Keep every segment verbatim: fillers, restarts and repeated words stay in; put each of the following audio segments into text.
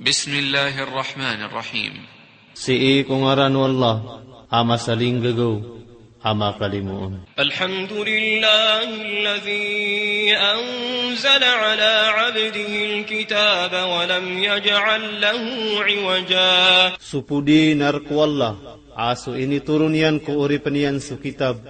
Bismillahir Rahmanir Rahim. Sii ko ngaran o Allah, a masalinggagaw, a makalimoon. Alhamdulillahil ladhi anzala ala abdihil kitaba wa lam yaj'al lahu iwaja. So podi na rk o Allah, a so initoron iyan ko oripn iyan so kitab,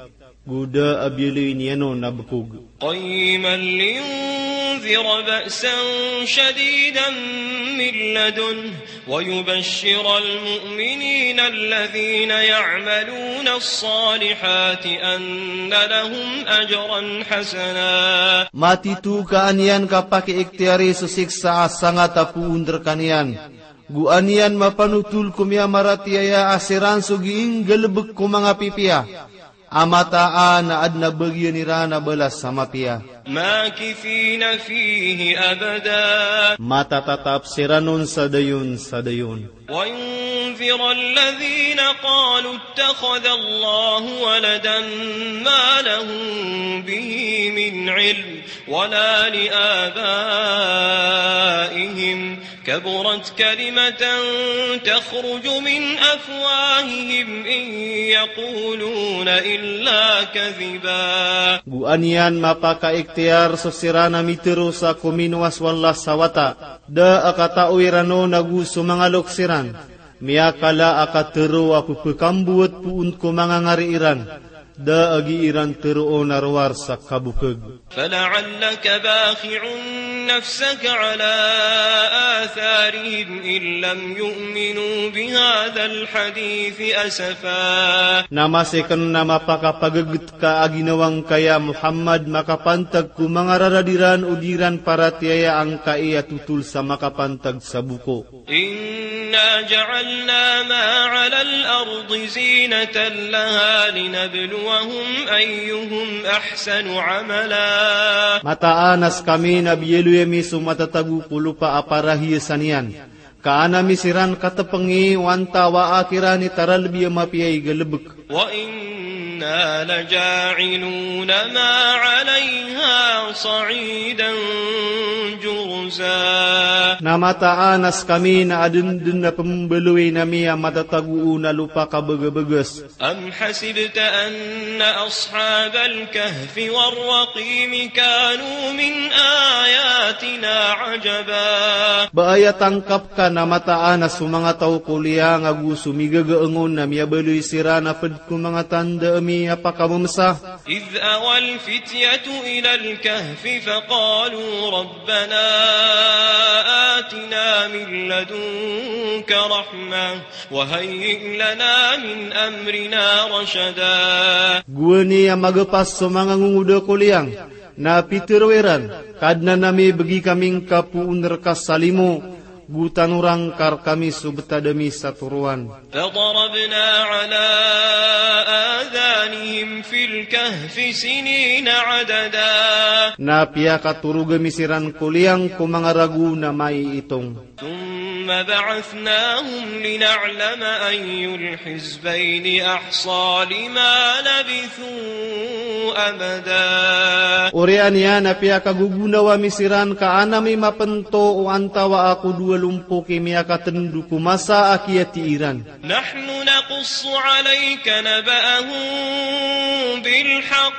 go da a biyaloy niyan on a bkog. Qayyiman liyundhira ba'san shadidan min ladunhu wa yubashshiral mu'minina alladhina ya'maluna as-salihati anna lahum ajran hasana. Matito ka an iyan kapakiiktiyari so siksa a sangat a poon rkaniyan. Go an iyan mapanotol ko miyamaratiyaya a siran so giinggalbk ko manga pipiya, a mataan a adn a bagian iran a balas a mapiya. Makithina fihi abada. Matatatap siran on sa dayon sa dayon. Wa yundhira alladhina qalu ittakhadha Allahu waladan ma lahum bihi min ilm wala li abaihim. Kaburat kalimatan takhruju min afwahihim in yaquluna illa kadhiba. Go an iyan mapakaiktiyar so siran a mitharo sa kominowa so Allah sa wata. Da a katao iran on ago so manga loks iran. Miyakala a katharo a pphakambowat poon ko manga ngari iran. Da a gii ran tharoon a rowar sa kabokg. Fala'allaka bakhi'un nafsaka ala atharihim in lam yu'minu bihadhal hadithi asafa. Na masi kn na mapakapaggt ka a ginawa ngka ya Muhammad makapantag ko manga rarad iran o di ran paratiyaya angkai a totol sa makapantag sa boko. Inna ja'alna ma 'alal ardi zinatan laha linabluwahum ayyuhum ahsanu 'amala. Mataan a skami na biyaloy ami so matatago ko lopa a parahiyasan iyan. Ka an ami siran katpngi o antawaa kiran i taralbi a mapiya i galbk. Wa inna laja'iluna ma 'alayha sa'idan jurza. Na mataan a skami na adn dn a pmbaloyin ami a matatago on a lopa kabagabagis. Am hasibta anna ashabal kahfi war raqimi kanu min ayatina 'ajaba. Ba aya tangkap ka na mataan a so manga taw ko liyang ago so migagaang on na miyabaloy siran a pd ko manga tanda ami a pakamamsa. Idh awal fityatu ilal kahfi faqalu rabbana atina min ladunka rahmah wa hayyi' lana min amrina rashada. Gowani a magapas so manga ngongoda ko liyang, na pitharo iran, Kadnan ami, bgi kami ngka poon rka sa limo, go tanora ngka rkami so btad ami sa toroan. Fadarabna ala adhanihim fil kahfi sinina adada. Na piyakatorog ami siran ko liyang ko manga ragon a maiitong. Thumma ba'athnahum lina'lama ayyul hizbayni ahsa lima labithu amada. Oriyan iyan a piyakagogonawa mi siran ka an ami mapnto o antawaa ko dowa lompok i miyakatndo ko masa a kiyati iran. Nahnu naqussu alayka naba'ahum bil haqq.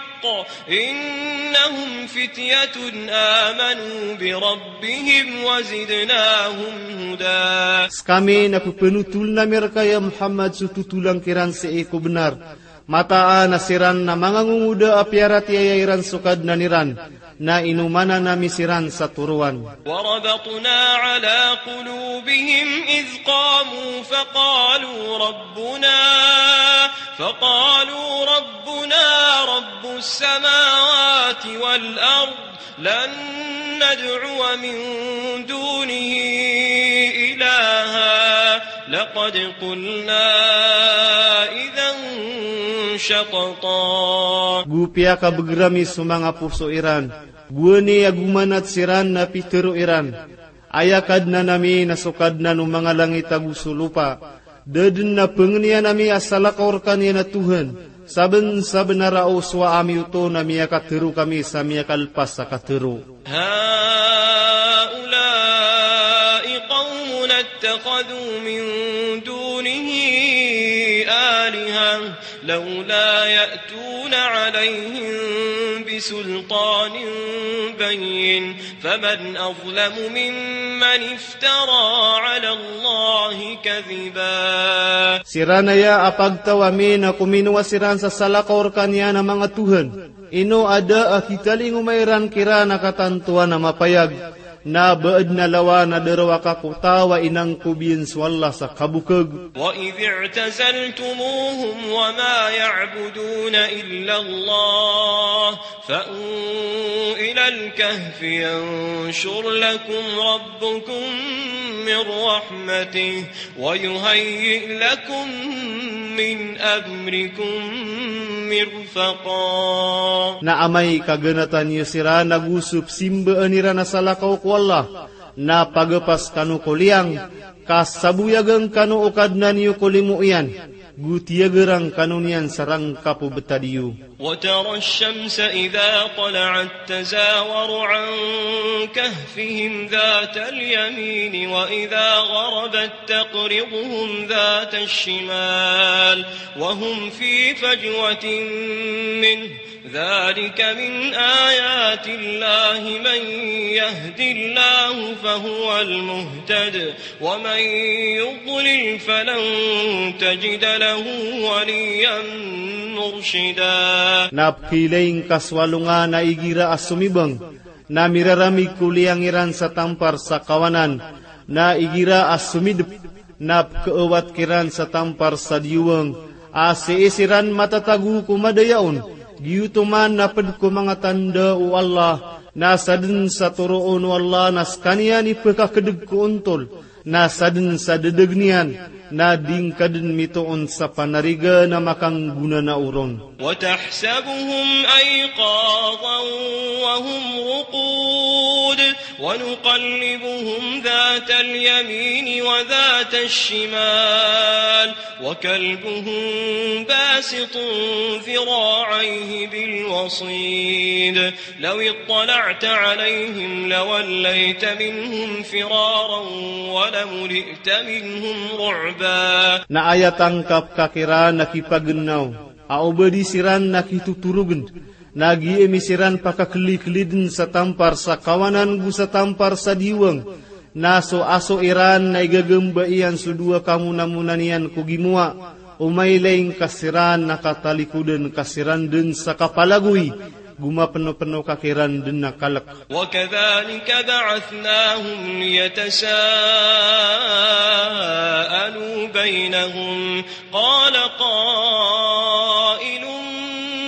Innahum fityatun amanu bi rabbihim wa zidnahum huda. Skami na pphanotoln ami rka ya Muhammad so totolang kiran sii ko bnar. Mataan a siran na manga ngongoda a piyaratiyaya iran so Kadnan iran, na inomanan ami siran sa toroan. Wa rabatna ala qulubihim idh qamu faqalu rabbuna, faqalu rabbuna rabbus samawati wal ard, lan nad'uwa min dunihi ilaha, laqad qulna idhan shatata. Go piyakabgr ami so manga poso iran, gowani a gomanat siran na pitharo iran, Aya Kadnan ami na so Kadnan o manga langit ago so lopa. Da dn a pangniyan ami a salakaw rkaniyan a Tohan. Sabnsabnar a osowa ami oto na miyakatharo kami sa miyakalpas a katharo. Haula'i qawmuna اتخذوا من دونه آلهة لولا يأتون عليهم بسلطان بين فمن أظلم ممن افترى على الله كذبا. Siran aya a pagtaw ami na kominowa siran sa salakaw rkaniyan a manga tohan. Ino a da a kitalingoma iran kiran a katantowan a mapayag, na ba adn a lawan a da roo a kakotaw a inangkob iyan so Allah sa kabokag. وإذ اعتزلتموهم وما يعبدون إلا الله فأووا إلى الكهف ينشر لكم ربكم من رحمته ويهيئ لكم من أمركم مرفقا. Na amay ka ganatan iyo siran ago so psimbaan iran a salakaw ko Allah, na pagapas kano ko liyang, ka saboyagan kano o Kadnan iyo ko limo iyan, go tiyagarang kano niyan sa rangkap o btad iyo. وترى الشمس إذا طلعت تزاور عن كهفهم ذات اليمين وإذا غربت تقرضهم ذات الشمال وهم في فجوة منه ذلك من آيات الله من يهد الله فهو المهتد ومن يضلل فلن تجد له وليا مرشدا. Na pkhailay ngka so alongan a igira a somibang, na miraramig ko liyang iran sa tampar sa kawanan, na igira a somidp, na pkhaawat kiran sa tampar sa diyowang, a sii siran matatago ko madayaon, giyoto man na pd ko manga tanda o Allah, na sadn sa toroon o Allah na skaniyan i pkakdg ko ontol, na sadn sa ddag niyan, na di ngka dn mitoon sa panariga na makanggona na oron. وتحسبهم أيقاظا وهم رقود ونقلبهم ذات اليمين وذات الشمال وكلبهم باسط ذراعيه بالوصيد لو اطلعت عليهم لوليت منهم فرارا ولملئت منهم رعبا. Na aya tangkap ka kiran na kipagnaw, a o ba di siran na kitotorogn, na giya ami siran pakakliklidn sa tampar sa kawanan go sa tampar sa diyowang, na so aso iran na igagamba iyan so dowa kamonamona niyan ko gimowa, o mailay ngka siran na katalikodan ka siran dn sa kapalagoy, go mapnopno ka kiran dn a kalk. وكذلك بعثناهم ليتساءلوا بينهم قال قائل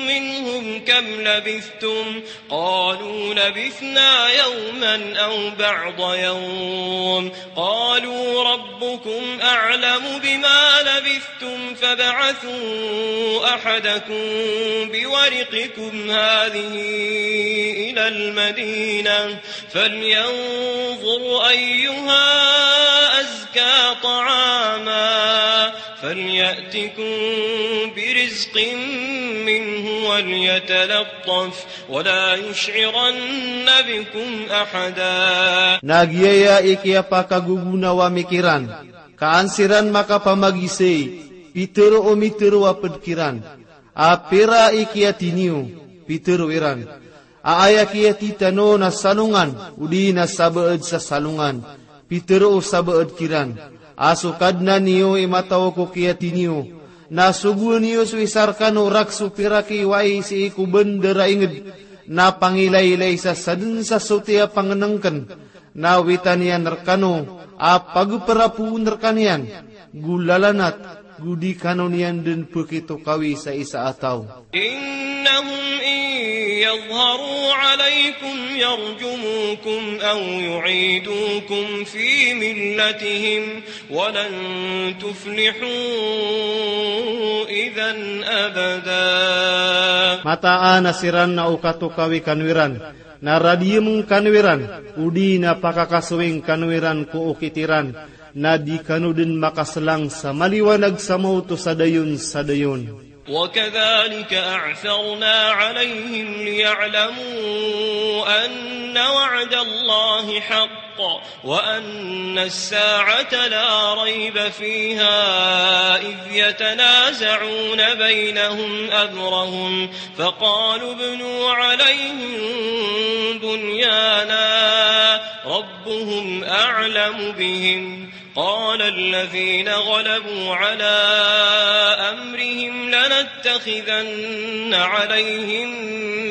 منهم كم لبثتم قالوا لبثنا يوما أو بعض يوم قالوا ربكم أعلم بما لبثتم فابعثوا أحدكم بورقكم هذه إلى المدينة فلينظر أيها أزكى طعاما فليأتكم برزق منه وليتلطف ولا يشعرن بكم أحدا. Na giyaya i kiyapakagogonawa mi kiran, ka an siran makapamagisay, pitharo o mitharo a pd kiran, a pira i kiyathay niyo, pitharo iran, a aya kiyathay tano na salongan, odi na sabaad sa salongan, pitharo o sabaad kiran, a so Kadnan iyo i mataw ko kiyathay niyo, na sogoan iyo so isa rkano rakhs o piraki wai sii ko bandar a ingd, na pangilaylay sa sadn sa sotiya a pangnngkn, na witan iyan rkano a pagprapoon rkaniyan, go lalanat, go di kano niyan dn pkitokawi sa isa a taw. إنهم إن يظهروا عليكم يرجموكم أو يعيدوكم في ملتهم ولن تفلحوا إذا أبدا. Mataan a siran na o katokawi kano iran, na radiyem kano iran, odi na pakakasoing kano iran ko okit iran, na di kano dn makaslang sa maliwanag sa maoto sa dayon sa dayon. وكذلك أعثرنا عليهم ليعلموا أن وعد الله حق وأن الساعة لا ريب فيها إذ يتنازعون بينهم أمرهم فقالوا ابنوا عليهم بنيانا ربهم أعلم بهم قال الذين غلبوا على أمرهم لنتخذن عليهم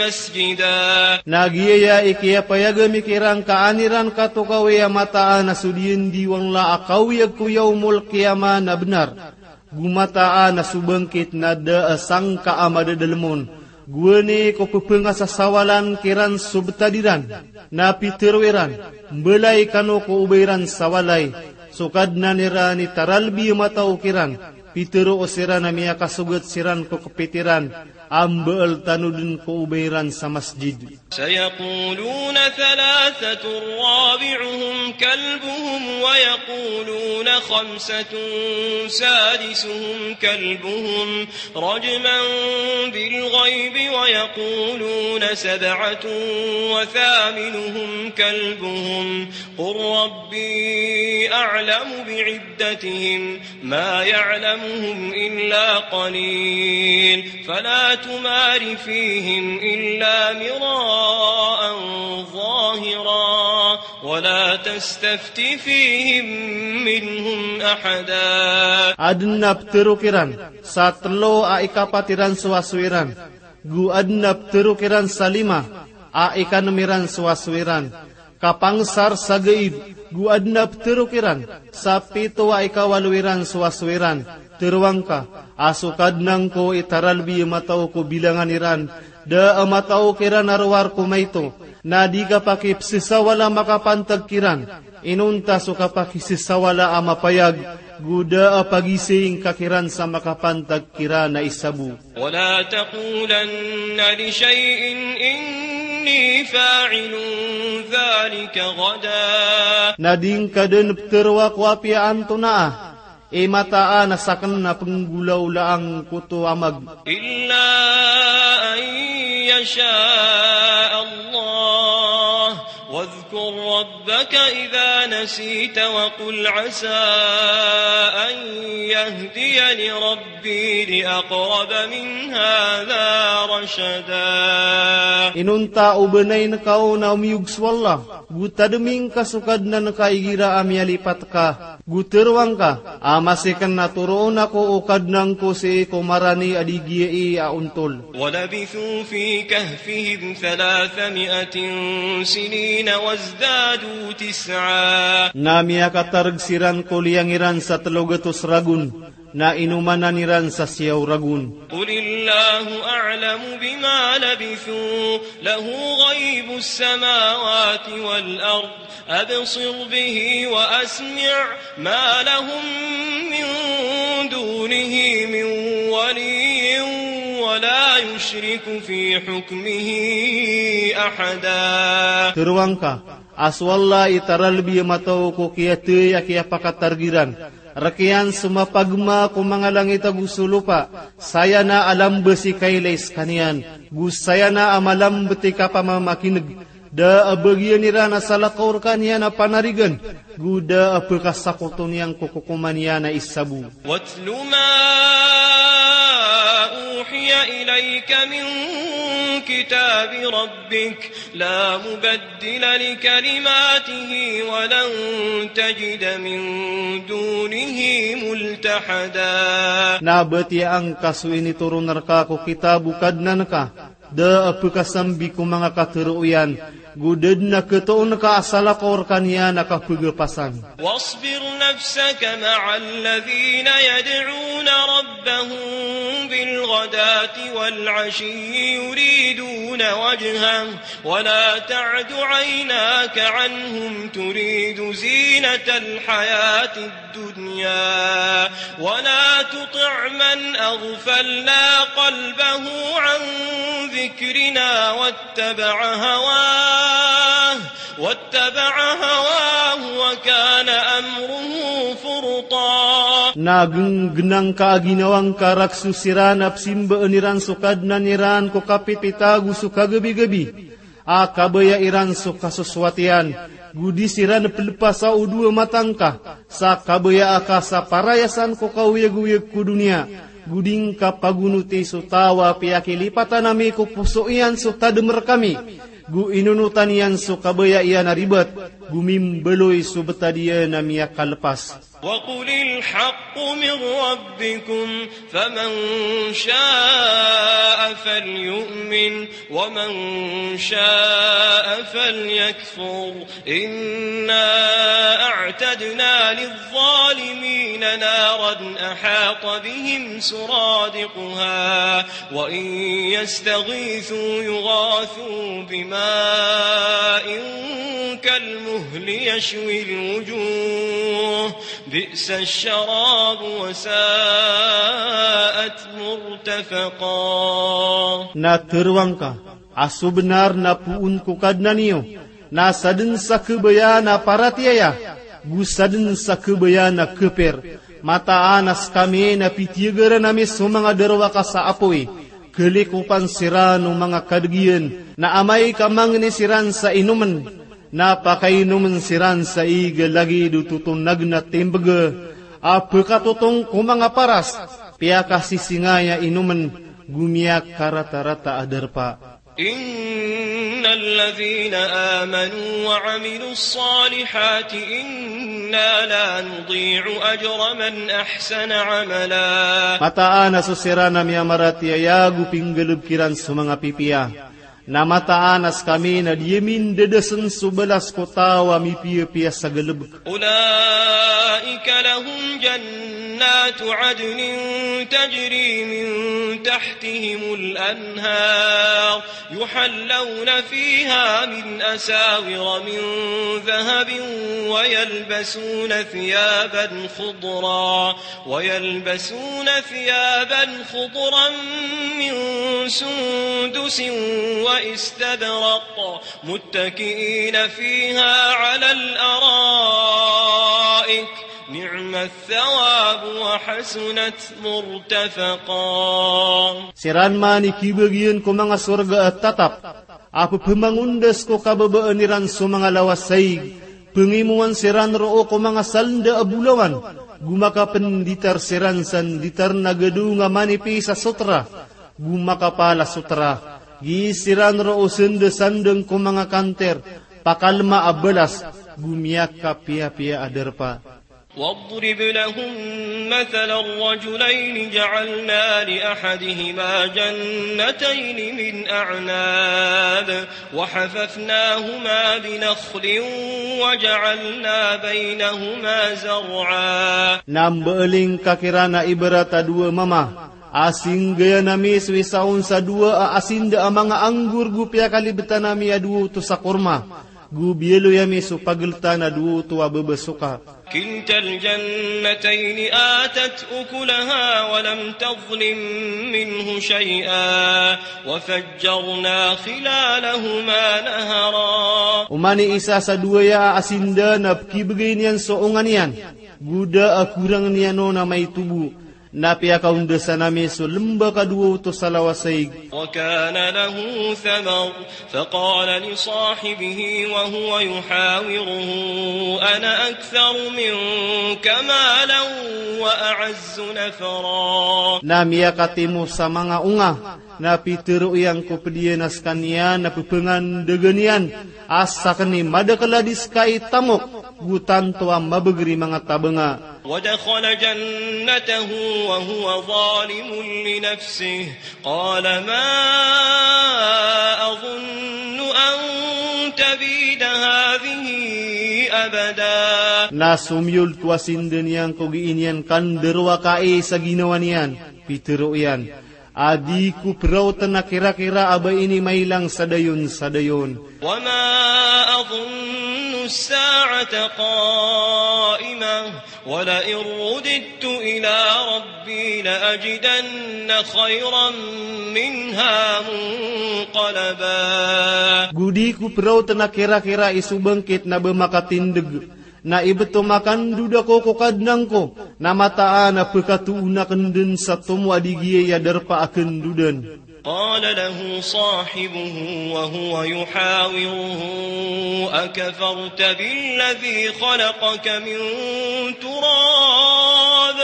مسجدا. Na giyaya i kiyapayag ami kiran ka an iran katokawi a mataan a so diyandi o Allah a kawiyag ko yawmul qiyamah na bnar. Go mataan a so bangkit na da a sangka a madadalem on. Gowani ko pepengasasawalan kiran so betad iran. Na pitero iran, mbelay kano ko obay iran sa walay. So Kadnan iran i taralbi a mataw kiran. Pitero o siran a miyakasogat siran ko kepit iran. A mbeel tano den ko obay iran sa masjid. سيقولون ثلاثة رابعهم كلبهم ويقولون خمسة سادسهم كلبهم رجما بالغيب ويقولون سبعة وثامنهم كلبهم قل ربي أعلم بعدتهم ما يعلمهم إلا قليل فلا تمار فيهم إلا مراء ظاهرا ولا تستفت فيهم منهم أحدا. Aden a petero kiran sa telo a ikapat iran so asoy iran. Go aden a petero kiran sa lima a ikanem iran so asoy iran. Kapangsar sa gaib, go aden a petero kiran sa pito a ikawalo iran so asoy iran. Teroang ka a so Kadnan ko i taralbi a mataw ko bilangan iran. Da a mataw kiran a rowar ko maito. Na di ka pakipesesawala makapantag kiran. Inonta so kapakisesawala a mapayag, go da a pagising ka kiran sa makapantag kiran a isa bo. ولا تقولن لشيء إني فاعل ذلك غدا. Na di ngka den petero ko apiya antonaa i mataan a saken a penggolaolaan ko oto a mag. إلا أن يشاء الله واذكر ربك إذا نسيت وقل عسى أن يهديني ربي لأقرب من هذا رشدا. Inonta o benayn ka on a omiyog so Allah, go tademi ngka so Kadnan ka igira a miyalipat ka, go teroang ka a masiken a toroon ako o Kadnan ko sii ko marani a di giyai a ontol. ولبثوا في كهفهم ثلاثمائة سنين وازدادوا تسعا. Na miyakatareg siran ko liyang iran sa telo gatos ragon, na inomanan iran sa siyaw ragon. قل الله أعلم بما لبثوا له غيب السماوات والأرض أبصر به وأسمع ما لهم من دونه من ولي ولا يشرك في حكمه أحدا. Teroang ka a so Allah i taralbi a mataw ko kiyathay a kiyapakatareg iran. Rekiyan so mapagma ko manga langit ago so lopa, saya na a lamba si kailay sekaniyan, go saya na a malambet i kapamamakineg. Da a bagiyan iran a salakaw rekaniyan a panarigan, go da a pekasakoto niyan ko kokoman iyan a isa bo. واتل ما أوحي إليك من كتاب ربك لا مبدل لكلماته ولن تجد من دونه ملتحدا. Na batiyaa ngka so initoron reka ko kitab o Kadnan ka, da a pekasambi ko manga katero iyan, go da den a ketoon ka a salakaw rekaniyan a kapegapasan. واصبر نفسك مع الذين يدعون ربهم بالغداة والعشي يريدون وجهه ولا تعد عيناك عنهم تريد زينة الحياة الدنيا ولا تطع من أغفلنا قلبه عن ذكرنا واتبع هواه واتبع هواه وكان أمره فرطا. Na genggenang ka a ginawa ngka rakhs o siran a pesimbaan iran so Kadnan iran ko kapipita ago so kagabigabi, a kabaya iran so kasosoat iyan, Go di siran pelepas o dowa mata ngka sa kabaya aka sa parayasan ko kaoyagoyag ko doniya. Go di ngka pagonoti so taw a piyakilipatan ami ko poso iyan so tadem rekami. Go inonotan iyan so kabaya iyan a ribat. Go mimbaloy so betad iyan a miyakalepas. وقل الحق من ربكم فمن شاء فليؤمن ومن شاء فليكفر. إنا أعتدنا للظالمين نارا أحاط بهم سرادقها وإن يستغيثوا يغاثوا بماء كالمهل يشوي الوجوه بئس الشراب وساءت مرتفقا. Na tero angka a so benar na poon ko Kadnan iyo, na saden sa kebaya na paratiyaya, go saden sa kebaya na keper. Mataan a sekami na pitiyagaran ami so manga darowaka sa apoy, kelikopan siran o manga kadeg iyan, na amay ka mangni siran sa inomen, na pakainomen siran sa ig a lagid o totonag na timbeg a pekatotong ko manga paras, piyakasisingay a inomen, go miyakaratarata a darpa. إن الذين آمنوا وعملوا الصالحات إنا لا نضيع أجر من أحسن عملا. Mataan a so siran a miyamaratiyaya go pinggalebek iran so manga pipiya, na mataan a sekami na di ami ndadasen so balas ko taw a mipiyapiya sa galebek. أولئك لهم جنات عدن تجري من تحتهم الأنهار يحلون فيها من أساور من ذهب ويلبسون ثيابا خضرا ويلبسون ثيابا خضرا من سندس وإستبرق متكئين فيها على الأرائك نعم الثواب وحسنت مرتفقا. Siran man i kibagian ko manga sorga a tatap a pepemangondas ko kababaan iran so manga lawas a ig, pengimowan siran roo ko manga salenda a bolawan, go makapenditar siran sa nditar na gadong a manipis a sotra, go makapal a sotra, gii siran roo sendasandeng ko manga kanter, pakalma a balas, go miyakapiyapiya a darpa. واضرب لهم مثلا رجلين جعلنا لأحدهما جنتين من أعناب وحففناهما بنخل وجعلنا بينهما زرعا. Na mbeling ka kiran a ibarat a dowa mama a singgayan ami so isa on sa dowa a asinda a manga anggur go piyakalibetan ami a dowa oto sa korma, go biyaloy ami so pageltan a dowa oto a bebesoka. كلتا الجنتين آتت أكلها ولم تظلم منه شيئا وفجرنا خلالهما نهرا. Oman i isa sa dowa aya a asinda na pekibegay niyan so onga niyan, go da a korang niyan on a maito bo, na piyakaondasan ami so lembak a dowa oto sa lawas a ig. وكان له ثمر فقال لصاحبه وهو يحاوره أنا أكثر منك مالا وأعز نفرا. Na miyakatimo sa manga onga, na pitero iyan ko ped iyan a sekaniyan na pepengandagan iyan a saken i madakel a di seka i tamok, go tanto a mabeger i manga tabanga. ودخل جنته وهو ظالم لنفسه قال ما أظن أن تبيد هذه أبدا. Na somiyol ko asinda niyan ko gii niyan kandarowaka i sa ginawa niyan, pitero iyan a di ko peraoten a kirakira a ba ini mailang sa dayon sa dayon. وما أظن الساعة قائمة ولئن رددت إلى ربي لأجدن خيرا منها منقلبا. Go di ko peraoten a kirakira i so bangkit na ba makatindeg, na ibeto makandoda ko ko Kadnan ko, na mataan a pekatoon aken den sa tomo a di giyai a darpa a kendodan. قال له صاحبه وهو يحاوره: أكفرت بالذي خلقك من تراب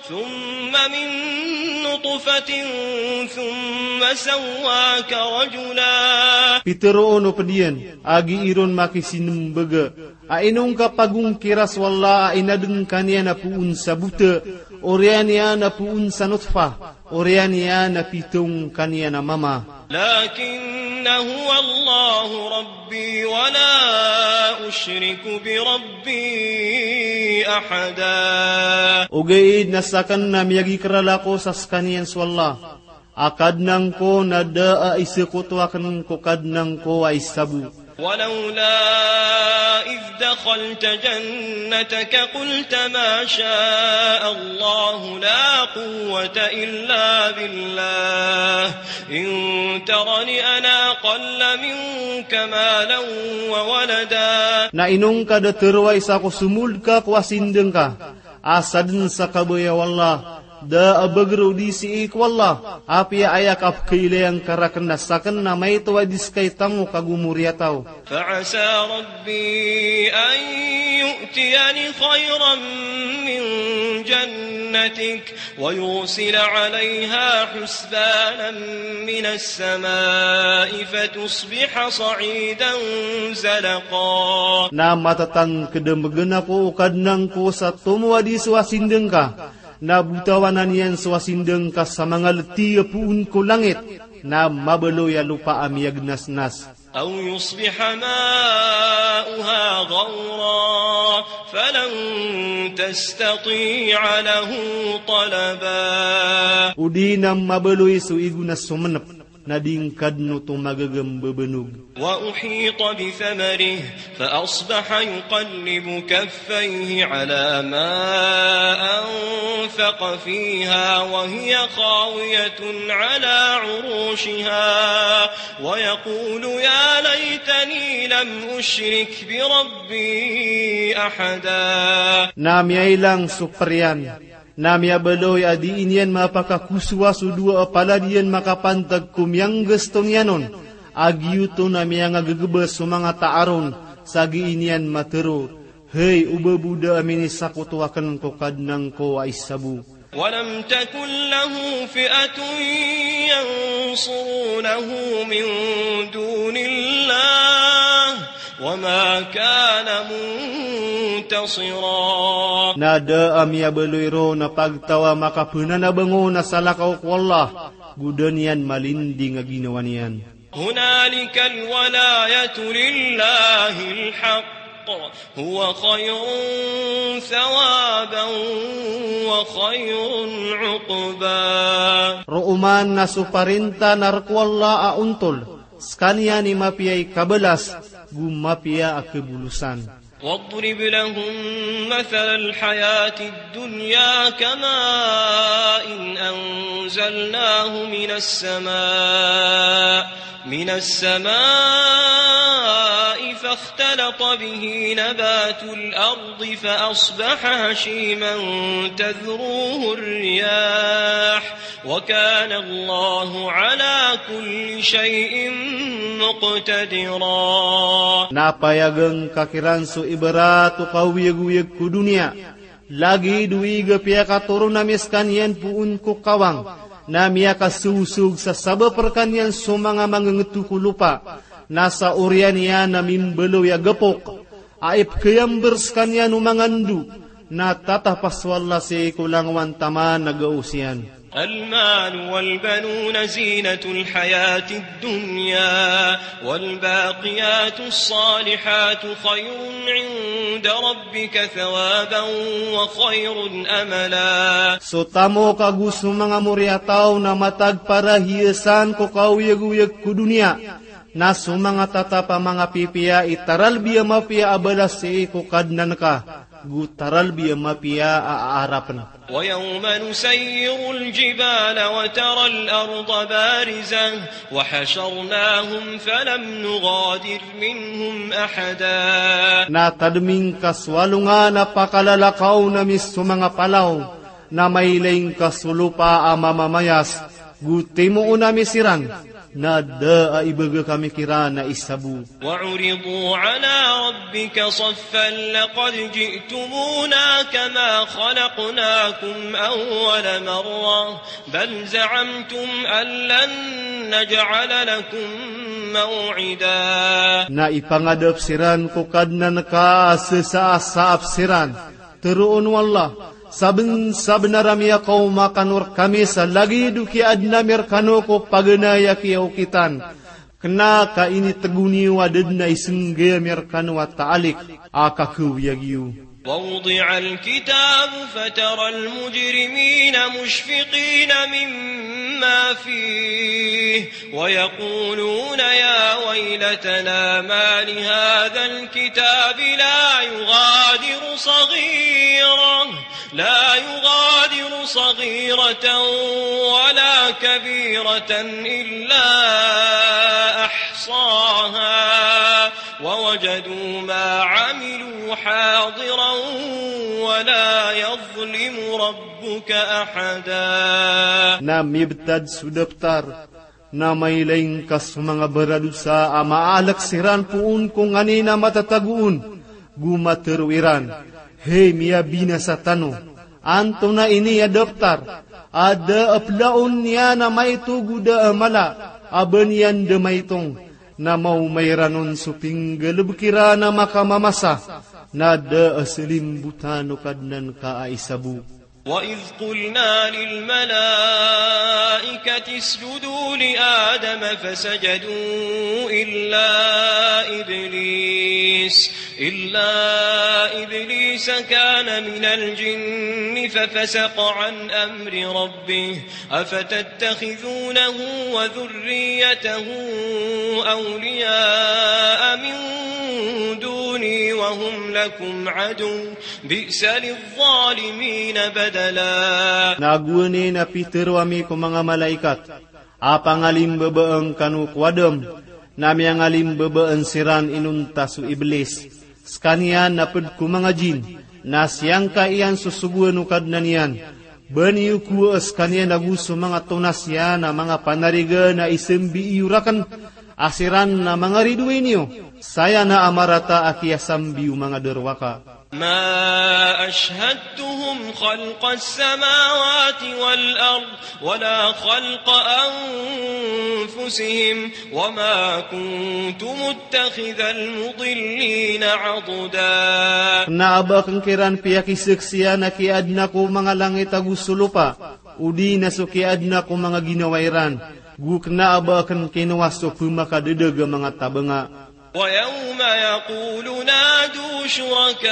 ثم من نطفة ثم سواك رجلا. Pitharo o pd iyan a gii ron makisinmbag a ino ngka pagongkira so Allah a inadn ka niyan a poon sa bota, oriyan iyan a poon sa notfah, oriyan iyan a pitharo ngka niyan a mama. لكن هو الله ربي ولا أشرك بربي أحدا. Ogaid na sakn na miyagikrala ko sa skaniyan so Allah a Kadnan ko, na da a isakoto akn ko Kadnan ko a isa bo. ولولا إذ دخلت جنتك قلت ما شاء الله لا قوة إلا بالله إن ترني أنا أقل منك مالا وولدا. Na ino ngka da tharoa i sa ko somold ka ko asindng ka a sadn sa kabaya o Allah, da a bagr o di sii ko Allah, apiya aya kapkhailaya ngka rakn na sakn na maito a di ska i tamok ago moriyataw. فعسى ربي أن يؤتيني خيرا من جنتك ويرسل عليها حسبانا من السماء فتصبح صعيدا زلقا. Na matatangkd a mbgan ako o Kadnan ko sa tomo a di so asindng ka, na botawanan iyan so asindng ka sa manga lti a poon ko langit, na mabaloy a lopa a miyagnasnas. أو يصبح ماؤها غورا فلن تستطيع له طلبا. O di na mabaloy so igo na somenep, na di ngka dn oto magaga mbabanog. وأحيط بثمره فأصبح يقلب كفيه على ما أنفق فيها وهي خاوية على عروشها ويقول يا ليتني لم أشرك بربي أحدا. Na miyailang so priyan, na miyabaloy a dii niyan mapakakosowa so dowa a palad iyan makapantag ko miyanggasto niyan on, a giyoto na miyangagagba so manga taar on, sa gii niyan matharo, hay, oba bo da a minisakoto akn ko Kadnan ko a isa bo. ولم تكن له فئة ينصرونه من دون الله وما كان منتصرا. Na da a miyabaloy ron a pagtaw a makapananabang on a salakaw ko Allah, go da niyan malinding a ginawa niyan. هنالك الولاية لله الحق هو خير ثوابا وخير عقبا. Roo man na so parinta na rk o Allah a ontol, skaniyan i mapiya i kabalas, go mapiya a kabolosan. واضرب لهم مثل الحياة الدنيا كماء أنزلناه من السماء، من السماء فاختلط به نبات الأرض فأصبح هشيما تذروه الرياح وكان الله على كل شيء مقتدرا. Na payagan ka kiran so ibarat o kaoyagoyag ko doniya. Lagid o ig a piyakatoron ami skaniyan poon ko kawang, na miyakasosog sa sabap rkaniyan so manga mangngto ko lopa, na sa oriyan iyan a mimbaloy a gapok a ipkhayamber skaniyan o manga ndo, na tatapas o Allah sii ko langowan taman a gaos iyan. المال والبنون زينة الحياة الدنيا والباقيات الصالحات خير عند ربك ثوابا وخير أملا. So tamok ago so manga moriyataw na matag para hiyasan ko kaoyagoyag ko doniya, na so manga tatap a manga pipiya i taralbi a mapiya a balas sii ko Kadnan ka, go taralbi a mapiya a aarapn. ويوم نسير الجبال وترى الأرض بارزة وحشرناهم فلم نغادر منهم أحدا. Na tadmi ngka so alongan a pakalalakaw ami so manga palaw, na mailay ngka so lopa a mamamayas, Go timoon ami siran, na da a ibaga kami kiran a isa bo. وعرضوا على ربك صفا لقد جئتمونا كما خلقناكم أول مرة بل زعمتم أن لن نجعل لكم موعدا. Na ipangadap siran ko Kadnan ka a sesasaap siran. Teroon o Allah, sabensabenar a miyakaoma kano rekami sa lagid o kiyaadna mi rekano ko paganay a kiyaokitan. Kena ka initego niyo a da den a isenggay ami rekano a taalik a kakawiyag iyo. ووضع الكتاب فترى المجرمين مشفقين مما فيه ويقولون يا ويلتنا ما لهذا الكتاب لا يغادر صغيرة، لا يغادر صغيرة ولا كبيرة إلا أحصاها ووجدوا ما عملوا حاضرا ولا يظلم ربك أحدا. Na mibetad so daptar, na mailay ngka so manga baradosa a maalek siran poon ko nganin a matatago on, go matero iran, "Hay miyabinasa tano, antonaa ini a daptar a da a pelaon iyan a maito go da a mala a ba niyan da maitong?" Na maoma iran on so pinggalebek iran a makamamasa, na da a selimbotan o Kadnan ka a isa bo. وإذ قلنا للملائكة اسجدوا لآدم فسجدوا إلا إبليس، إلا إبليس كان من الجن ففسق عن أمر ربه أفتتخذونه وذريته أولياء من دوني وهم لكم عدو بئس للظالمين بدلا. Na gowani na pitero ami ko manga malaikat a pangalimbabaan kano ko Adam, na miyangalimbabaan siran inonta so Iblis. Sekaniyan na ped ko manga jin, na siyangka iyan so sogoan o Kadnan iyan. Ba niyo kowaa sekaniyan ago so manga tonas iyan a manga panarigan a isambi iyo raken, a siran na manga ridoay niyo, saya na a marata a kiyasambi o manga darowaka. ما أشهدتهم خلق السماوات والأرض ولا خلق أنفسهم وما كنت متخذ المضلين عضدا. Na a ba aken kiran piyakisaksian a kiyaadna ko manga langit ago so lopa, odi na so kiyaadna ko manga ginawa iran, go kena a ba aken kinowa so pemakadedag a manga tabanga. ويوم يقول نادوا شركائي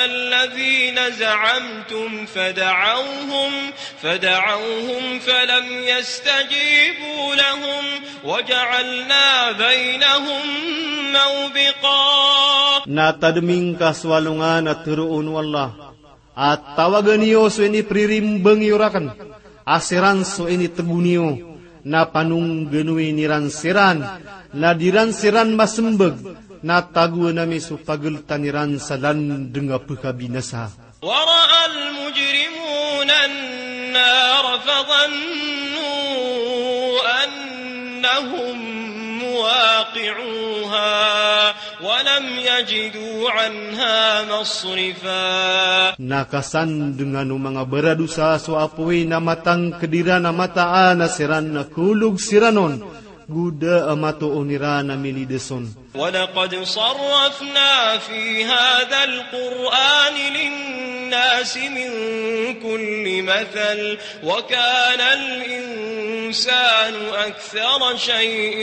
الذين زعمتم فدعوهم، فدعوهم فلم يستجيبوا لهم وجعلنا بينهم موبقا. Na tademi ngka so alongan a teroon o Allah a tawagan iyo so inipiririmbang iyo raken, a siran so initego niyo, na panongganoin iran siran, na di ran siran masembag, na tagoan ami so pageltan iran sa landeng a pekabinasa. ورأى المجرمون النار فظنوا أنهم مواقعوها ولم يجدوا عنها مصرفا. Na kasandengan o manga baradosa so apoy na matangked iran a mataan a siran na kolog siran on, go da a matoon iran a milides on. ولقد صرفنا في هذا القرآن للناس من كل مثل وكان الإنسان أكثر شيء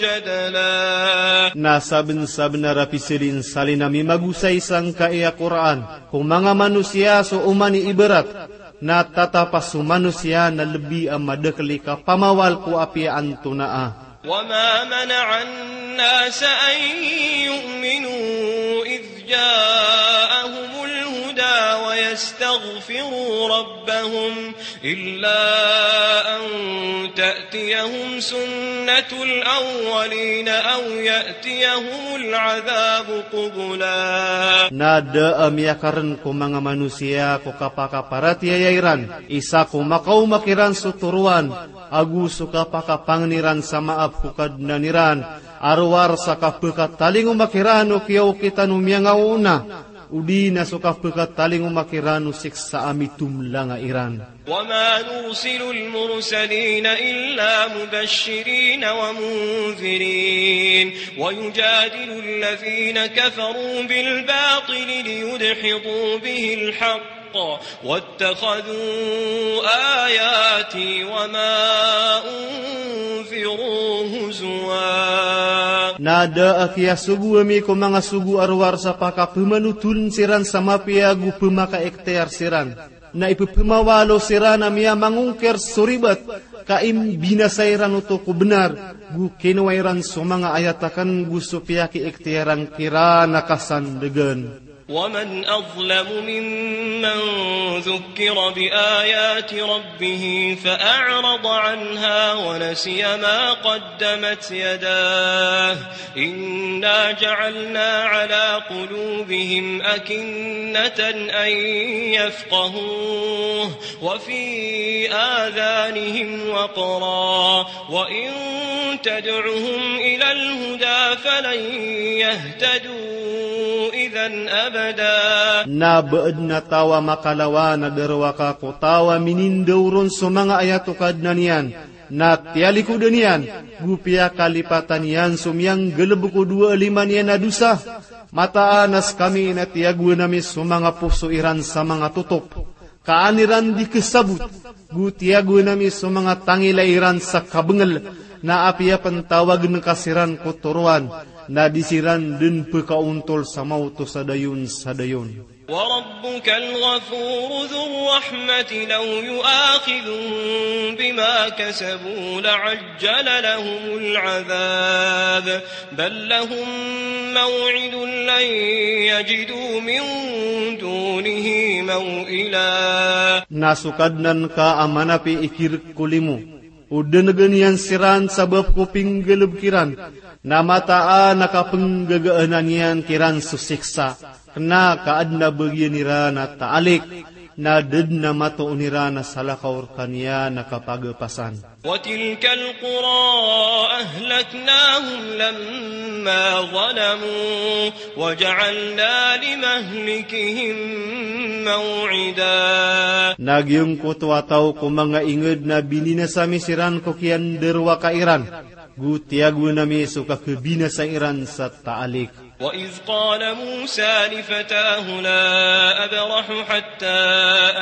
جدلا. Na sabensabenar a pisalinsalin ami magosay sangkai a Qur'an ko manga manosiya so oman i ibarat, na tatap a so manosiya na lebi a madakel i kapamawal ko apiya antonaa. وما منع الناس أن يؤمنوا إذ جاءهم الهدى يستغفروا ربهم إلا أن تأتيهم سنة الأولين أو يأتيهم العذاب قبلا. Na da a miyakarn ko manga manosiya ko kapakaparatiyaya iran, isa ko makaoma kiran so toroan, ago so kapakapangni ran sa maap ko Kadnan iran, a rowar sa kapkatalingoma kiran o kiyaokitan o miyangaoona, odi na so kapkatalingoma kiran o siksa a mitomlanga iran. وما نرسل المرسلين إلا مبشرين ومنذرين ويجادل الذين كفروا بالباطل ليدحضوا به الحق واتخذوا آياتي وما أنذروا هزوا. Na da a kiyasogo ami ko manga sogo a rowar sa pakapmanotoln siran sa mapiya ago pmakaiktiyar siran. Na ipphmawalo siran a miyamangongkir so ribat, ka imbinasa iran oto ko bnar, go kinowa iran so manga ayat akn go so piyakiiktiyaran kiran a kasandgn. ومن أظلم ممن ذكر بآيات ربه فأعرض عنها ونسي ما قدمت يداه إنا جعلنا على قلوبهم أكنة أن يفقهوه وفي آذانهم وقرا وإن تدعهم إلى الهدى فلن يهتدوا إذا أبدا. Na ba adn a taw a makalawan a darowaka ko taw a minindaoron so manga ayat o Kadnan iyan, na tiyalikod iyan, go piyakalipatan iyan so miyanggalbk o dowa a lima niyan a dosa. Mataan a skami na tiyagoan ami so manga poso iran sa manga totop, ka an iran di khasabot, go tiyagoan ami so manga tangila iran sa kabngl, na apiya pn tawagn ka siran ko toroan, na di siran dn pkhaontol sa maoto sa dayon sa dayon. وربك الغفور ذو الرحمة لو يؤاخذهم بما كسبوا لعجل لهم العذاب بل لهم موعد لن يجدوا من دونه موئلا. Na so Kadnan ka a manapi i kirk ko limo, o dngan iyan siran sabap ko pinggalbk iran, na mataan a kapnggagaan iyan kiran so siksa, kna ka adn a bagian iran a taalik, na da dn a matoon iran a salakaw rkaniyan a kapagapasan. وتلك القرى أهلكناهم لما ظلموا وجعلنا لمهلكهم موعدا. Na giyangkoto a taw ko manga ingd na bininasa mi siran ko kiyandarowaka iran, go tiyagoan ami so kakhabinasa iran sa taalik. وإذ قال موسى لفتاه لا أبرح حتى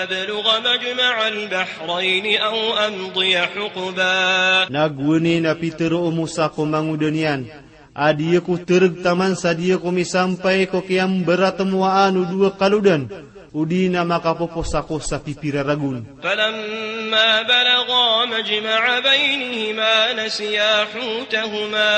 أبلغ مجمع البحرين أو أمضي حقبا. Na gowani na pitharo o Musa ko mangoda niyan a di ako trg taman sa di ako misampay ko kiyambaratmowaan o dowa kalodan, odi na makapopos ako sa pipira ragon. فلما بلغا مجمع بينهما نسيا حوتهما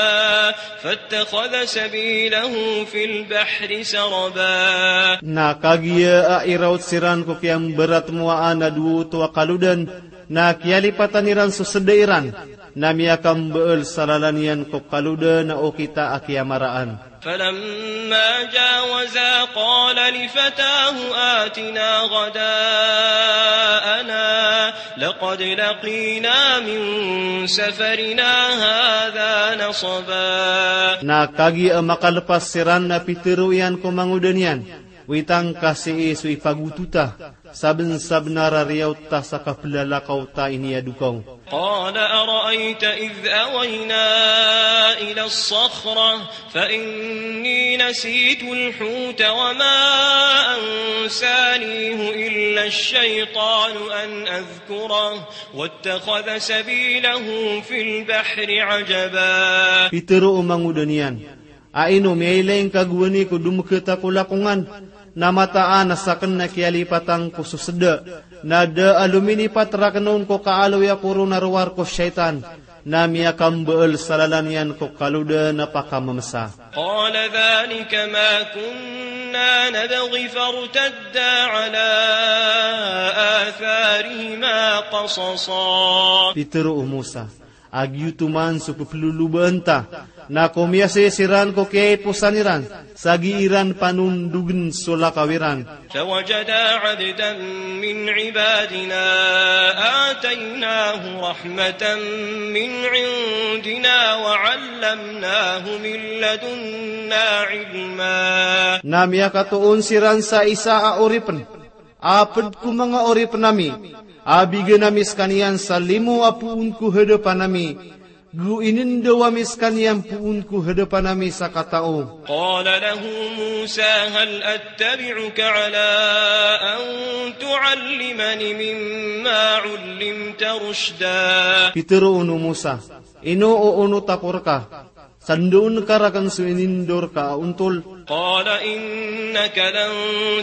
فاتخذ سبيله في البحر سربا. Na kagiya a iraot siran ko kiyambaratmowaan a dowa oto a kalodan, na kiyalipatan iran so sda iran, na miyakambaal sa lalan iyan ko kalodan a okit a kiyamaraan. فلما جاوزا قال لفتاه آتنا غداءنا لقد لقينا من سفرنا هذا نصبا. Na kagiya a makalpas siran na pitharo iyan ko mangoda niyan, witang ka sii so ipagotota, sabnsabnar a riyaot ta sa kaplalakaw ta ini a dokaw. قال أرأيت إذ أوينا إلى الصخرة فإني نسيت الحوت وما أنسانيه إلا الشيطان أن أذكره واتخذ سبيله في البحر عجبا. Pitharo o mangoda niyan, a ino miyailay ngka gowani ko domkt ako lakongan, na mataan a sakn na kiyalipatan ko so sda, na da a lominipat rakn on ko kaaloy ako ron a rowar ko shaytan, na miyakambaal sa lalan iyan ko kalodan a pakamamsa. قال ذلك ما كنا نبغ فارتدا على آثارهما قصصا. Pitharo o Musa, a giyoto man so pepelolobaan ta, na komiyasay siran ko kiyaiposan iran, sa gii ran panondogn so lakaw iran. فوجدا عبدا من عبادنا آتيناه رحمة من عندنا وعلمناه من لدنا علما. Na miyakatoon siran sa isa a oripn a pd ko manga oripn ami, a bigan ami skaniyan sa limo a poon ko hadapan ami, go inindaw ami skaniyan poon ko hadapan ami sa katao. قال له موسى هل أتبعك على أن تعلمني مما علمت رشدا. Pitharo o Musa, ino o onot ako rka sa ndoon ka rakn so inindao rka a ontol. قال إنك لن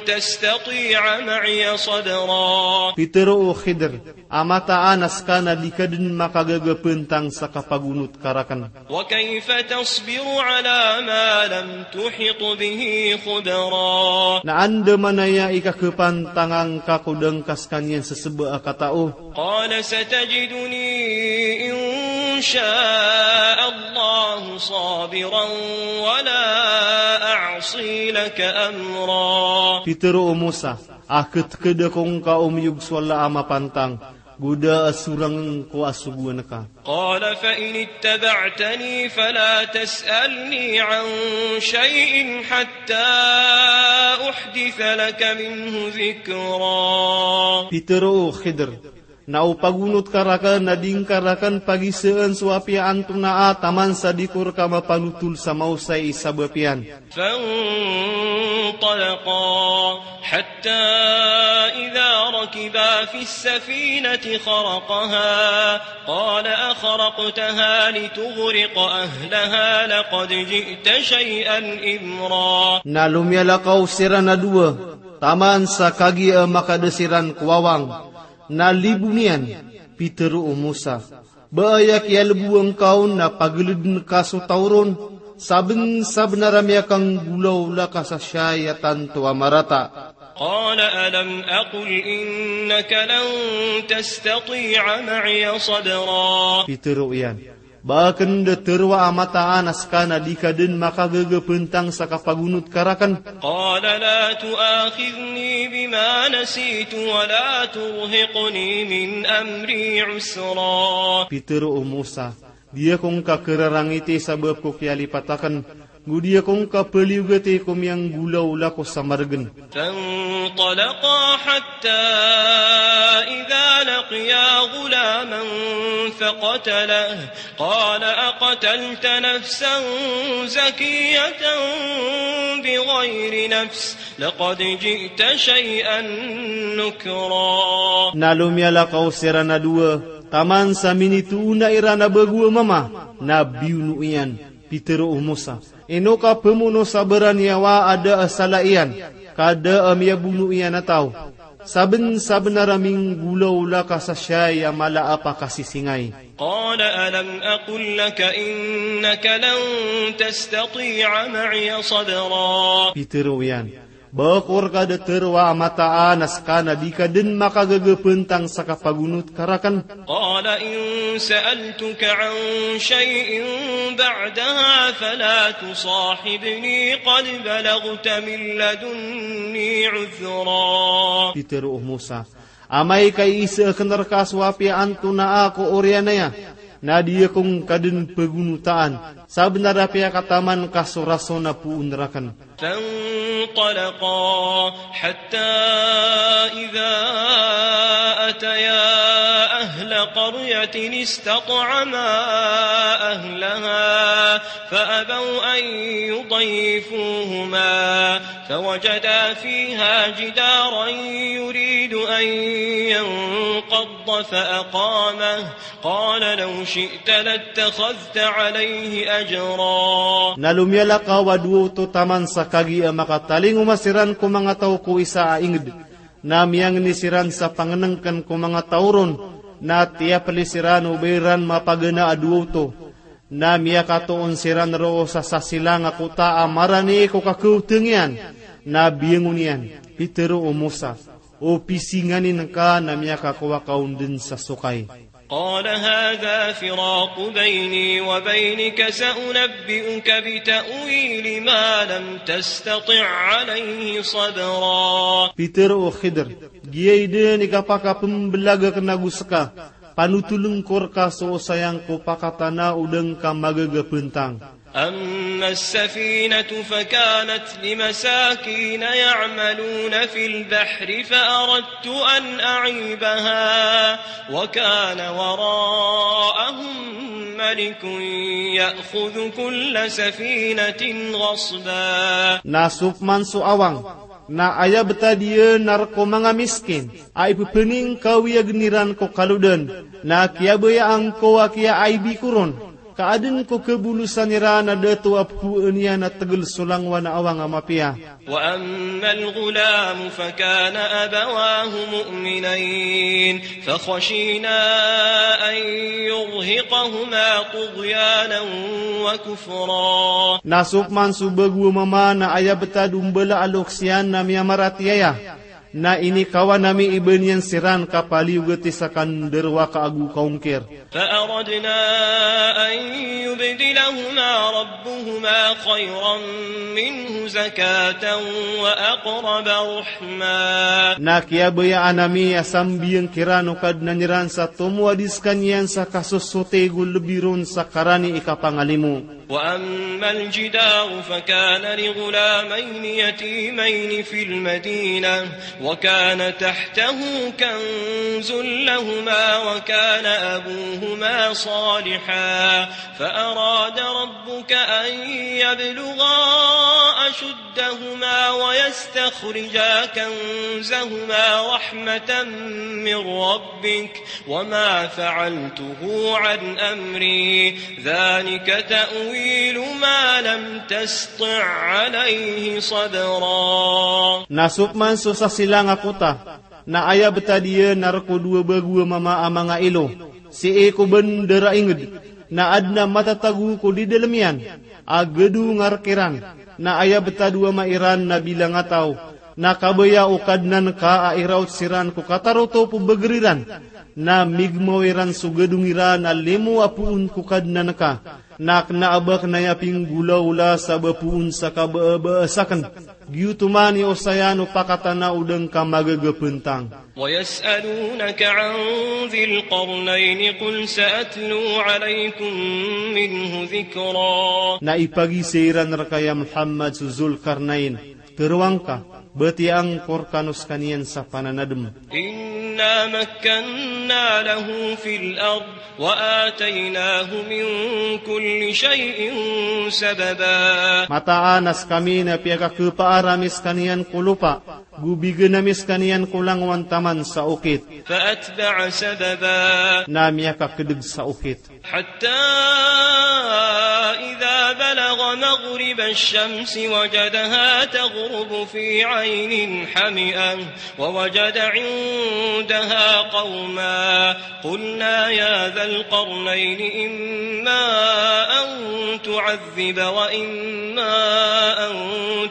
تستطيع معي صبرا. Pitharo o Khidr a mataan a ska na di ka dn makagaga pantang sa kapagonot ka rakn. وكيف تصبر على ما لم تحط به خبرا. Na andamanaya i kakapantanga ngka ko da ngka skaniyan seseba a katao. قال ستجدني إن شاء الله صابرا ولا أعصي لك أمرا. Pitharo o Musa, a ktkd ako ngka o miyog so Allah a mapantang, go da a sorang ko a sogoan ka. قال فإن اتبعتني فلا تسألني عن شيء حتى أحدث لك منه ذكرا. Pitharo o Khidr, na o pagonot ka rakn na di ngka rakn pagisaan so apiya antonaa taman sa di ko rka mapanotol sa maosay i sabap iyan. فانطلقا حتى إذا ركبا في السفينة خرقها قال أخرقتها لتغرق أهلها لقد جئت شيئا إمرا. Na lomiyalakaw siran a dowa, taman sa kagiya makada siran ko wawang, na libon iyan. Pitharo o Musa, ba aya kiyalbo angka on na paglidn ka so taw ron, sabnsabnar a miyakanggolawla ka sa siyai a tanto a marata. قال ألم أقل إنك لن تستطيع معي صبرا. Pitharo iyan, ba akn da tharoa a mataan a ska na di ka dn makagaga pantang sa kapagonot ka rakn. قال لا تؤاخذني بما نسيت ولا ترهقني من أمري عسرا. Pitharo o Musa, di ako ngka kararangiti sabap ko kiyalipat akn, go di ako ngka paliyogati ko miyanggolawla ko sa margn. فانطلقا حتى إذا لقيا غلاما فقتله قال أقتلت نفسا زكية بغير نفس لقد جئت شيئا نكرا. Na lomiyalakaw siran a dowa, taman sa minitoona iran a bago a mama, na biyono iyan. Pitharo o Musa, ino ka pamono sa baraniyawa a da a sala iyan, ka da a miyabono iyan a taw, sabnsabnar a minggolawla ka sa siyai a mala a pakasisingay. قال ألم أقل لك إنك لن تستطيع معي صبرا. Pitharo iyan, ba ako rka da tharoa a mataan a ska na di ka dn makagaga pantang sa kapagonot ka rakn. قال إن سألتك عن شيء بعدها فلا تصاحبني قد بلغت من لدني عذرا. Pitharo o Musa, amay ka iisa akn rka so apiya antonaa ko oriyan aya, na di ako ngka dn pagonotaan, sabnar a piyakataman ka so rason a poon rakn. فانطلقا حتى إذا أتيا أهل قرية استطعما أهلها فأبوا أن يضيفوهما فوجدا فيها جدارا يريد أن ينقض فأقامه قال لو شئت لاتخذت عليه أجرا. Na lomiyalakaw a dowa oto taman sa kagiya makatalingoma siran ko manga taw ko isa a ingd. Na miyangni siran sa pangnngkn ko manga taw ron, na tiyapli siran o ba iran mapagana a dowa oto. Na miyakatoon siran roo sa sasilang a kota a marani ko kakaotang iyan. Na biyangon iyan, pitero o Musa, o pisingani ngka na miyakakowa ka on den sa sokay. قال هذا فراق بيني وبينك سأنبئك بتأويل ما لم تستطع عليه صبرا. Pitero o Khidr, giyai den i kapakapembelag aken ago seka, panotoleng ko reka so osayang ko pakatana o da ngka magagapentang. أما السفينة فكانت لمساكين يعملون في البحر فأردت أن أعيبها وكان وراءهم ملك يأخذ كل سفينة غصبا. Na so peman so awang, na aya betad iyan na rek o manga miskin a ipepeningkawiyagen iran ko kalodan, na kiyabayaan ko a kiyaaibi ko ron, ka aden ko kebolosan iran a dato a pekoen iyan a tegel so langowan a awang a mapiya. وأما الغلام فكان أبواه مؤمنين فخشينا أن يرهقهما طغيانا وكفرا. Na so peman so bago a mama na aya betad o mbala a lokes iyan na miyamaratiyaya, na inikawan ami i ba niyan siran ka paliyogati sa kandarowaka ago kaongkir. فأردنا أن يبدلهما ربهما خيرا منه زكاة وأقرب رحما. Na kiyabayaan ami a sambiyang kiran o Kadnan iran sa tomo a di sekaniyan sa kasosotig o lebi ron sa karani i kapangalimo. وأما الجدار فكان لغلامين يتيمين في المدينة وكان تحته كنز لهما وكان أبوهما صالحا فأراد ربك أن يبلغا أشدهما ويستخرجا كنزهما رحمة من ربك وما فعلته عن أمري ذلك تأويل ما لم تسطع عليه صبرا. Na so peman so sasilang a kota, na aya betad iyan na rek o dowa bago a mama a manga ilo, sii ko bandar a inged, na aden a matatago ko di dalem iyan a gedong a rek iran, na aya betad o ama iran na bilang a taw, na kabaya o Kadnan ka a iraot siran ko katarotop o beger iran, na migemaw iran so gedong iran a limo a poon ko Kadnan ka, na kena a ba ken aya pinggolaola sa ba poon sa kabaabaa saken. Giyoto man i osayan o pakatana o da ngka magagapentang. ويسألونك عن ذي القرنين قل سأتلو عليكم منه ذكرا. Na ipagisay iran reka ya Muhammad so Zul Karnain. Teroang ka, batiyaa ngko rekano sekaniyan sa pananadem. إنا مكنا له في الأرض وآتيناه من كل شيء سببا. Mataan a sekami na piyakakepaar ami sekaniyan ko lopa, go bigen ami sekaniyan ko langowan taman sa okit. فأتبع سببا. Na miyakakedeg sa okit. حتى إذا بلغ مغرب الشمس وجدها تغرب في عين حمئة ووجد عندها قوما قلنا يا ذا القرنين إما أن تعذب وإما أن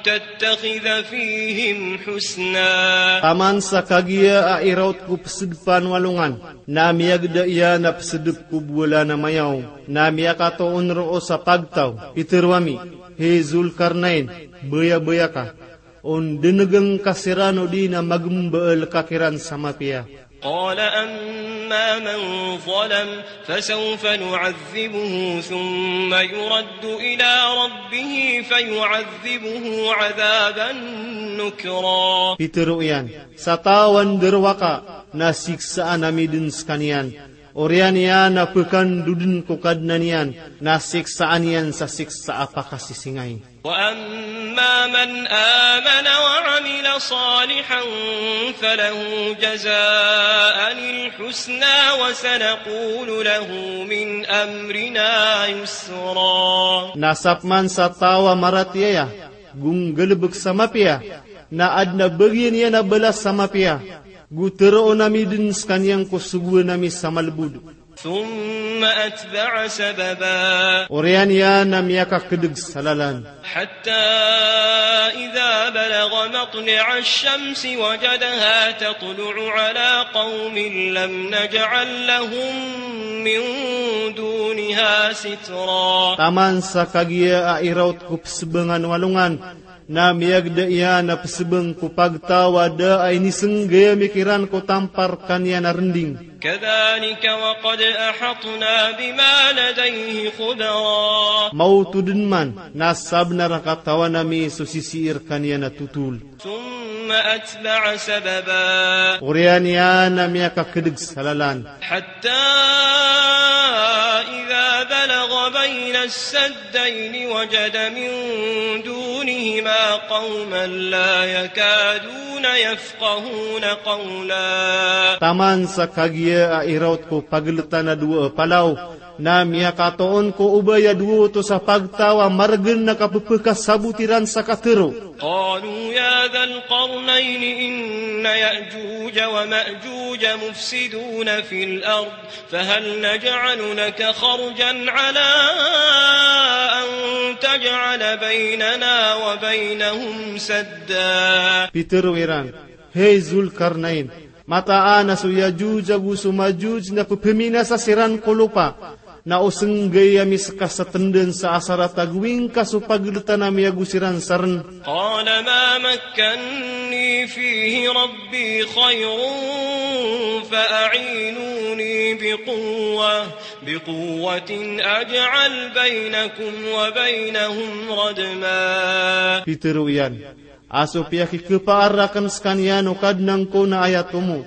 تتخذ فيهم حسنا. Taman sa kagiya a iraot ko pesedepan o alongan, na miyageda iyan a pesedep ko bolan a mayaw, na miyakatoon roo sa pagtaw. Pitero ami, hay Zul Karnain, baya-baya ka, on denegen ka siran odi na magembaal ka kiran sa mapiya. قال أما من ظلم فسوف نعذبه ثم يرد إلى ربه فيعذبه عذابا نكرا. Pitero iyan, sa taw a nderowaka, na siksaan ami den sekaniyan. Oriyan iyan a pekandoden ko Kadnan iyan, na siksaan iyan sa siksa a pakasisingay. وأما من آمن وعمل صالحا فله جزاء الحسنى وسنقول له من أمرنا يسرا. Na sapeman sa taw a maratiyaya, go nggalebek sa mapiya, na aden a bagian iyan a balas sa mapiya, go teroon ami den sekaniyan ko sogoan ami sa malebod. ثم أتبع سببا. Oriyan iyan na miyakakedeg sa lalan. حتى إذا بلغ مطلع الشمس وجدها تطلع على قوم لم نجعل لهم من دونها سترا. Taman sa kagiya a irawt ko pesebangan o alongan, na miyagda iyan a pesebang ko pagtaw a da a inisenggayaw ami kiran ko tampar kaniyan a rending. كذلك وقد أحطنا بما لديه خبرا. Maoto den man, na sabenar a katawan ami so sisii rekaniyan a totol. ثم أتبع سببا. Oriyan iyan na miyakakedeg sa lalan. حتى إذا بلغ بين السدين وجد من دونهما قوما لا يكادون يفقهون قولا. Taman sa kagiya a irawt ko pageletan a dowa a palaw, na miyakatoon ko obay a dowa oto sa pagtaw a maregen a kapepekasabot iran sa katero. قالوا يا ذا القرنين إن يأجوج ومأجوج مفسدون في الأرض فهل نجعل لك خرجا على أن تجعل بيننا وبينهم سدا. Pitero iran, Hay Zul Karnain, mataan a so Yajuj ago so Majuj na pepeminasa siran ko lopa, na o senggay ami seka sa tenden sa asar a tagoing ka so pageletan ami ago siran sa ren. قال ما مكني فيه ربي خير فأعينوني بقوة، بقوة أجعل بينكم وبينهم ردما. Pitero iyan, a so piyakikepaar aken sekaniyan o Kadnan ko na aya tomo,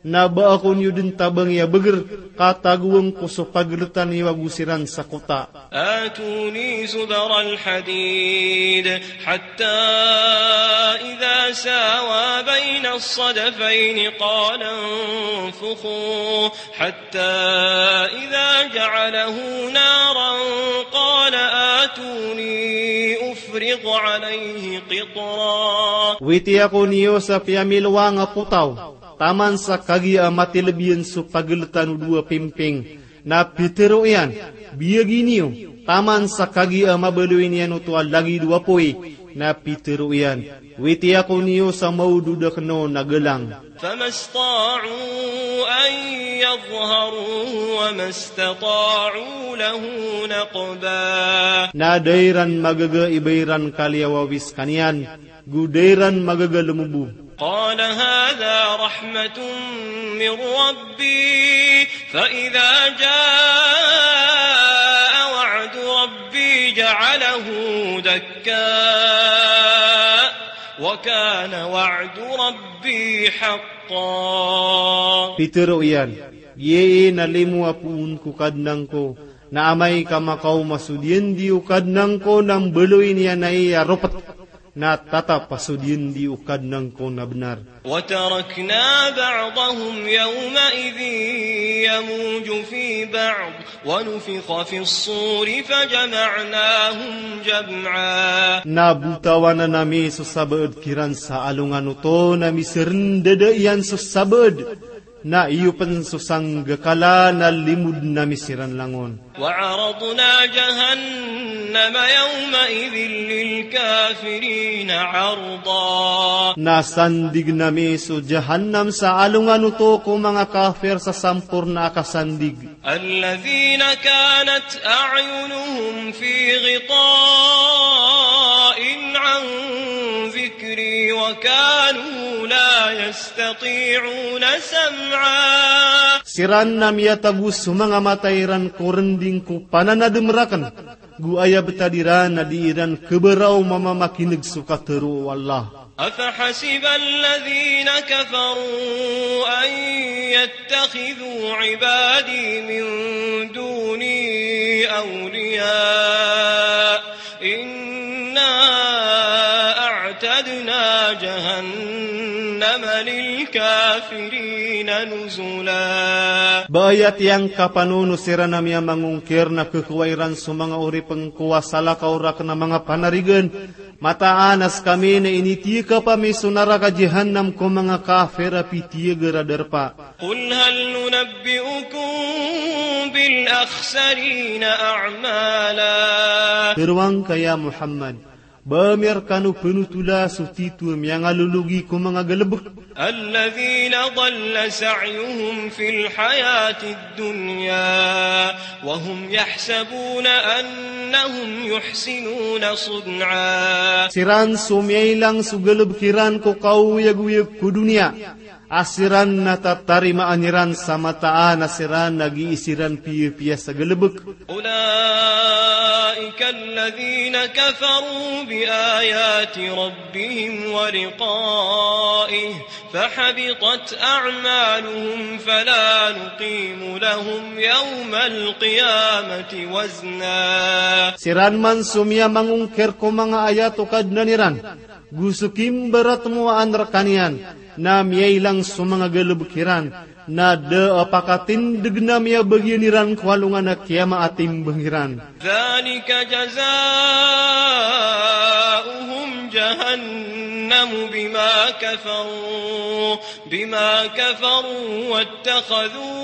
na ba ako niyo den tabangi a beger, ka tagoeng ko so pageletan iyo ago siran sa kota. آتوني زبر الحديد حتى إذا ساوى بين الصدفين قال انفخوا حتى إذا جعله نارا قال آتوني أفرغ عليه قطرا. Witi ako niyo sa piyamiloang a potaw, taman sa kagiya a matelebiyan so pageletan o dowa pimping, na pitero iyan, biyagi niyo, taman sa kagiya a mabaloy niyan oto a lagid o apoy, na pitero iyan, witi ako niyo sa maodod aken on a galang. فما استطاعوا أن يظهروه وما استطاعوا له نقبا. Na da iran magaga i ba iran kaliyawawi sekaniyan, go da iran magaga lemobo. قال هذا رحمة من ربي فإذا جاء وعد ربي جعله دكا وكان وعد ربي حقا. Pitero iyan, giya na limo a poon ko Kadnan ko, na amay ka makaoma so diyandi o Kadnan ko na mbaloy niyan aya a ropet, na tatap a so diyandi o Kadnan ko na benar. وتركنا بعضهم يومئذ يموج في بعض ونفخ في الصور فجمعناهم جمعا. Na botawanan ami so sabaad kiran sa alongan oto na miserendada iyan so sabaad, na iyo pen so sanggakala na limoden ami siran langon. وعرضنا جهنم يومئذ للكافرين عرضا. Na sandigen ami so Jahannam sa alongan oto ko manga kafir sa samporna a kasandig. الذين كانت أعينهم في غطاء عن ذكري وكانوا لا يستطيعون سمعا. Siran na miyatago so manga mata iran ko rending ko pananadem raken, go aya betad iran na di iran keberaw mamamakineg so katero o Allah. أفحسب الذين كفروا أن يتخذوا عبادي من دوني أولياء إنا أعتدنا جهنم لل الكافرين نزلا. Ba aya tiyangkapan o siran a miyamangongkir na khakowa iran so manga oripn ko a salakaw rakn a manga panarigan, mataan a skami na initiyakap ami so naraka jahannam ko manga kafir a pitiyagr a darpa. قل هل ننبئكم بالأخسرين أعمالا. Tharoang ka ya Muhammad, ba ami rkano pnotola so titho a miyangalologi ko manga galbk. الذين ضل سعيهم في الحياة الدنيا وهم يحسبون أنهم يحسنون صنعا. Siran so miyailang so galbk iran ko kaoyagoyag ko doniya, a siran na tatarimaan iran sa mataan a siran na gii siran piyapiya sa galbk. أولئك الذين كفروا بآيات ربهم ولقائه فحبطت أعمالهم فلا نقيم لهم يوم القيامة وزنا. Siran man so miyamangongkir ko manga ayat o Kadnan iran, go so kimbaratmowaan rkaniyan, na miyailang so manga galbk iran, na da a pakatindgn a miyabagian iran ko alongan a kiyama a timbang iran. ذلك جزاؤهم جهنم بما كفروا، بما كفروا واتخذوا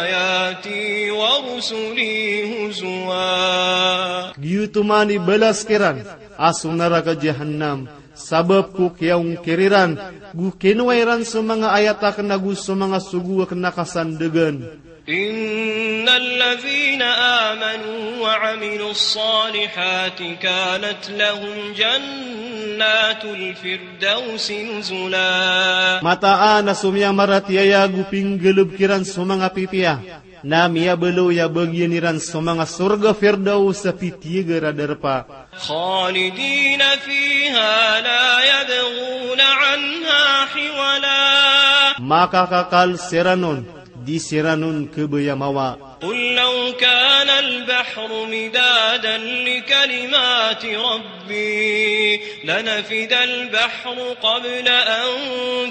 آياتي ورسلي هزوا. Giyoto man i balas kiran a so naraka jahannam, sabap ko kiyaongkir iran, go kinowa iran so manga ayat akn ago so manga sogo akn a kasandgan. إن الذين آمنوا وعملوا الصالحات كانت لهم جنات الفردوس نزلا. Mataan a so miyamaratiyaya ago pinggalbk iran so manga pipiya, na miyabaloy a bagian iran so manga sorga Firdaus a pitiyagr a darpa. خالدين فيها لا يبغون عنها حولا. Makakakal siran on, di siran on khabaya mawa. قل لو كان البحر مدادا لكلمات ربي لنفد البحر قبل أن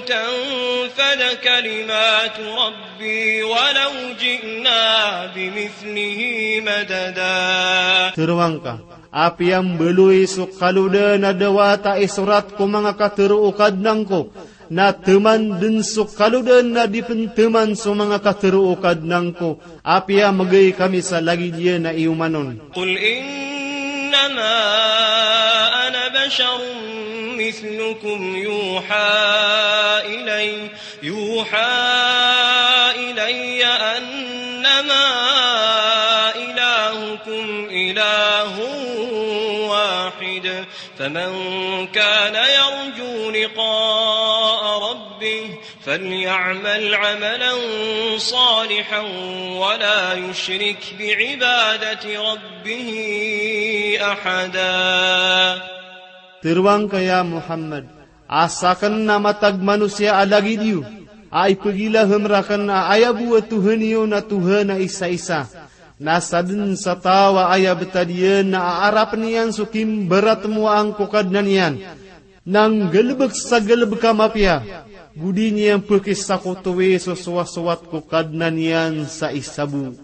تنفد كلمات ربي ولو جئنا بمثله مددا. Tharoang ka, apiya mbaloy so kalodan a da wata isorat ko manga katharo o Kadnan ko, na thaman dn so kalodan a di pn thaman so manga katharo o Kadnan ko, apiya mgay kami sa lagid iyan a iyoman on. قل إنما أنا بشر مثلكم يوحى إلي، يوحى إلي أنما إلهكم إله واحد، فمن كان يرجو لقاء ربه فليعمل عملا صالحا ولا يشرك بعبادة ربه أحدا. Tharoang ka ya Muhammad, a sakn a matag manosiya a lagid iyo, a ipagilaham rakn a aya bo a Tohan iyo na Tohan a isaisa. Na sadn sa taw a aya btad iyan na aarapn iyan so kimbaratmowaan ko Kadnan iyan, na nggalbk sa galbk a mapiya, go di niyan pkisakotowi so sowasowat ko Kadnan iyan sa isa bo.